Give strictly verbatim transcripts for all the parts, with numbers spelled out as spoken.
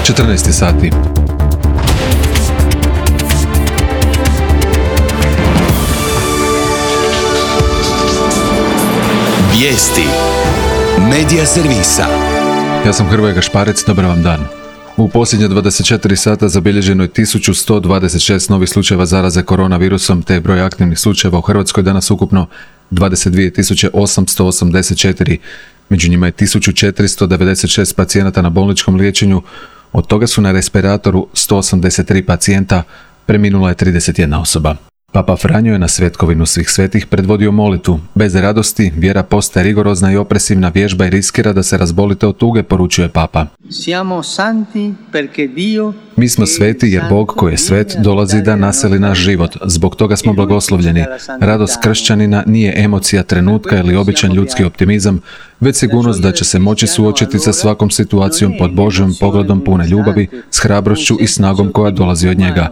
četrnaest sati. Vijesti Medija servisa. Ja sam Hrvoje Gašparec, dobar vam dan. U posljednje dvadeset četiri sata zabilježeno je tisuću sto dvadeset šest novih slučajeva zaraze koronavirusom, te je broj aktivnih slučajeva u Hrvatskoj danas ukupno dvadeset dvije tisuće osamsto osamdeset četiri. Među njima je tisuću četiristo devedeset šest pacijenata na bolničkom liječenju, od toga su na respiratoru sto osamdeset tri pacijenta, preminula je trideset jedna osoba. Papa Franjo je na Svetkovinu svih svetih predvodio molitvu. Bez radosti, vjera postaje rigorozna i opresivna vježba i riskira da se razbolite od tuge, poručuje Papa. Mi smo sveti jer Bog koji je svet dolazi da naseli naš život. Zbog toga smo blagoslovljeni. Radost kršćanina nije emocija trenutka ili običan ljudski optimizam, već sigurnost da će se moći suočiti sa svakom situacijom pod Božjim pogledom pune ljubavi, s hrabrošću i snagom koja dolazi od njega.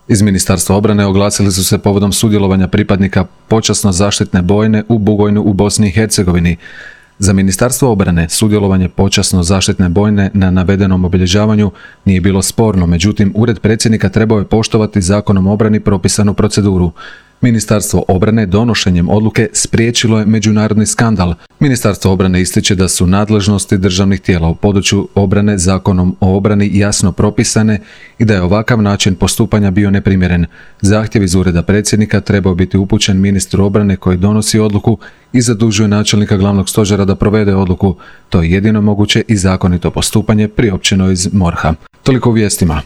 Iz Ministarstva obrane oglasili su se povodom sudjelovanja pripadnika počasno zaštitne bojne u Bugojnu u Bosni i Hercegovini. Za Ministarstvo obrane sudjelovanje počasno zaštitne bojne na navedenom obilježavanju nije bilo sporno, međutim Ured predsjednika trebao je poštovati Zakonom o obrani propisanu proceduru. Ministarstvo obrane donošenjem odluke spriječilo je međunarodni skandal. Ministarstvo obrane ističe da su nadležnosti državnih tijela u području obrane Zakonom o obrani jasno propisane i da je ovakav način postupanja bio neprimjeren. Zahtjev iz Ureda predsjednika trebao biti upućen ministru obrane koji donosi odluku i zadužuje načelnika glavnog stožera da provede odluku. To je jedino moguće i zakonito postupanje priopćeno iz morha. Toliko u vijestima.